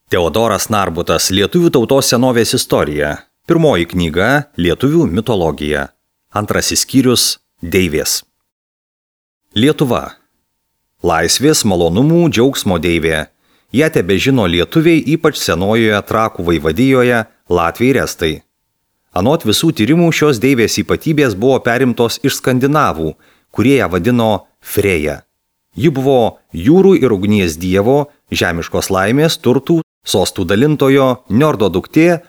Teodoras Narbutas Lietuvių tautos senovės istorija. Pirmoji knyga Lietuvių mitologija. Antrasis skyrius Deivės. Lietuva. Laisvės, malonumų, džiaugsmo deivė. Ją tebežino lietuviai, ypač senojoje Trakų vaivadijoje, Latviai ir Estai. Anot visų tyrimų šios deivės ypatybės buvo perimtos iš skandinavų, kurie ją vadino Freja. Ji buvo jūrų ir ugnies dievo, žemiškos laimės, turtų, sostų dalintojo, Niordo duktė,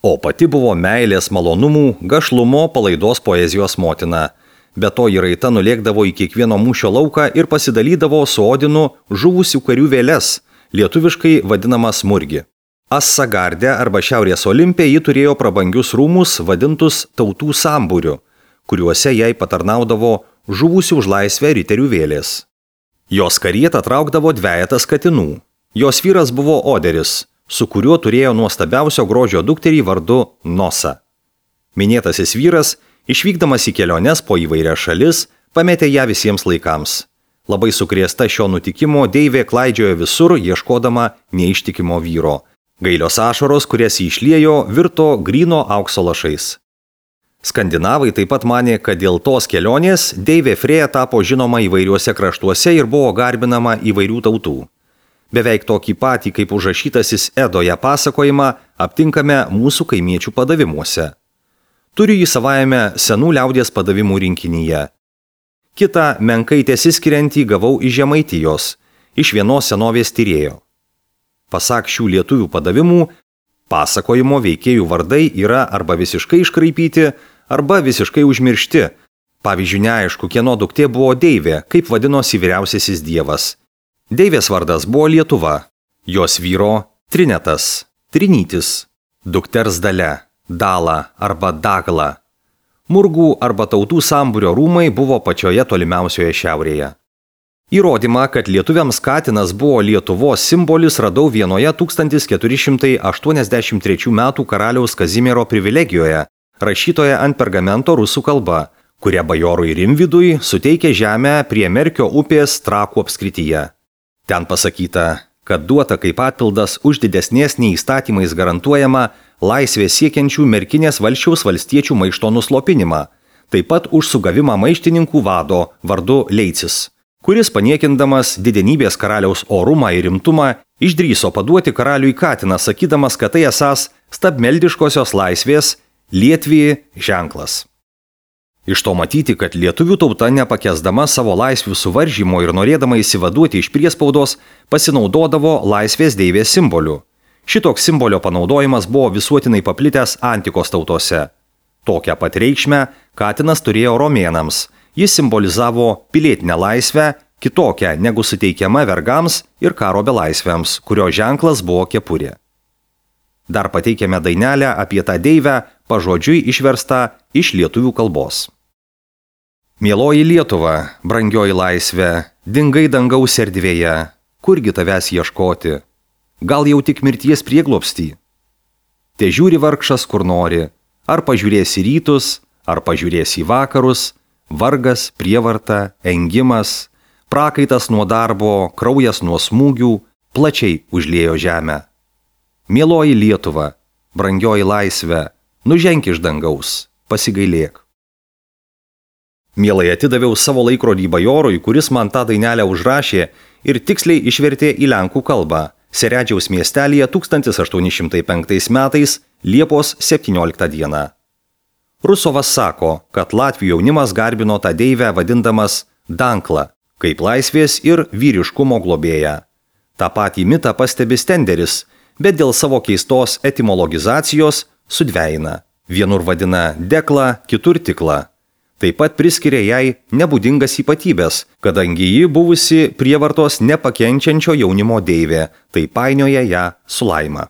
o pati buvo meilės, malonumų, gašlumo, palaidos poezijos motina. Be to ji raita nulėkdavo į kiekvieno mūšio lauką ir pasidalydavo su Odinu žuvusių karių vėles, lietuviškai vadinamas murgi. Assagardė arba Šiaurės Olimpe ji turėjo prabangius rūmus vadintus tautų sambūriu, kuriuose jai patarnaudavo žuvusių už laisvę riterių vėlės. Jos karietą traukdavo dvejetas katinų. Jos vyras buvo Oderis, su kuriuo turėjo nuostabiausio grožio dukterį vardu Nosa. Minėtasis vyras, išvykdamas į keliones po įvairias šalis, pametė ją visiems laikams. Labai sukrėsta šio nutikimo deivė klaidžiojo visur, ieškodama neištikimo vyro. Gailios ašaros, kurias jį išliejo, virto gryno aukso lašais. Skandinavai taip pat manė, kad dėl tos kelionės deivė Freja tapo žinoma įvairiuose kraštuose ir buvo garbinama įvairių tautų. Beveik tokį patį, kaip užrašytasis Edoje pasakojimą, aptinkame mūsų kaimiečių padavimuose. Turiu jį savajame senų liaudies padavimų rinkinyje. Kitą menkai tesiskiriantį gavau iš Žemaitijos, iš vienos senovės tyrėjo. Pasak šių lietuvių padavimų, pasakojimo veikėjų vardai yra arba visiškai iškraipyti, arba visiškai užmiršti. Pavyzdžiui, neaišku, kieno duktė buvo deivė, kaip vadinosi vyriausiasis dievas. Deivės vardas buvo Lietuva, jos vyro Trinetas, Trinytis, dukters Dalia, Dala arba Dagla. Murgų arba tautų sambūrio rūmai buvo pačioje tolimiausioje šiaurėje. Įrodymą, kad lietuviams katinas buvo Lietuvos simbolis, radau vienoje 1483 m. karaliaus Kazimiero privilegijoje, rašytoje ant pergamento rusų kalba, kuria bajorui Rimvydui suteikė žemę prie Merkio upės Trakų apskrityje. Ten pasakyta, kad duota kaip atpildas už didesnės nei įstatymais garantuojama laisvės siekiančių merkinės valsčiaus valstiečių maišto nuslopinimą, taip pat už sugavimą maištininkų vado vardu Leicis, kuris paniekindamas didenybės karaliaus orumą ir rimtumą išdrįso paduoti karaliui katiną, sakydamas, kad tai esąs stabmeldiškosios laisvės Lietuvai ženklas. Iš to matyti, kad lietuvių tauta nepakęsdama savo laisvių suvaržymo ir norėdama įsivaduoti iš priespaudos, pasinaudodavo laisvės deivės simboliu. Šitoks simbolio panaudojimas buvo visuotinai paplitęs antikos tautose. Tokią pat reikšmę katinas turėjo romėnams. Jis simbolizavo pilietinę laisvę, kitokią negu suteikiama vergams ir karo belaisviams, kurio ženklas buvo kepurė. Dar pateikiame dainelę apie tą deivę, pažodžiui išverstą iš lietuvių kalbos. Mieloji Lietuva, brangioji laisvė, dingai dangaus erdvėje, kurgi tavęs ieškoti? Gal jau tik mirties prieglobstį? Te žiūri vargšas kur nori, ar pažiūrės į rytus, ar pažiūrės į vakarus, vargas, prievarta, engimas, prakaitas nuo darbo, kraujas nuo smūgių, plačiai užliejo žemę. Mieloji Lietuva, brangioji laisvė, nuženk iš dangaus, pasigailėk. Mielai atidaviau savo laikrodį bajorui, kuris man tą dainelę užrašė ir tiksliai išvertė į lenkų kalbą Seredžiaus miestelyje 1805 metais Liepos 17 dieną. Rusovas sako, kad latvių jaunimas garbino tą deivę vadindamas Dankla, kaip laisvės ir vyriškumo globėją. Ta patį mitą pastebi Stenderis, bet dėl savo keistos etimologizacijos sudvejina. Vienur vadina Dekla, kitur Tikla. Taip pat priskiria jai nebūdingas ypatybės, kadangi ji buvusi prievartos nepakenčiančio jaunimo deivė, tai painioja ją su laima.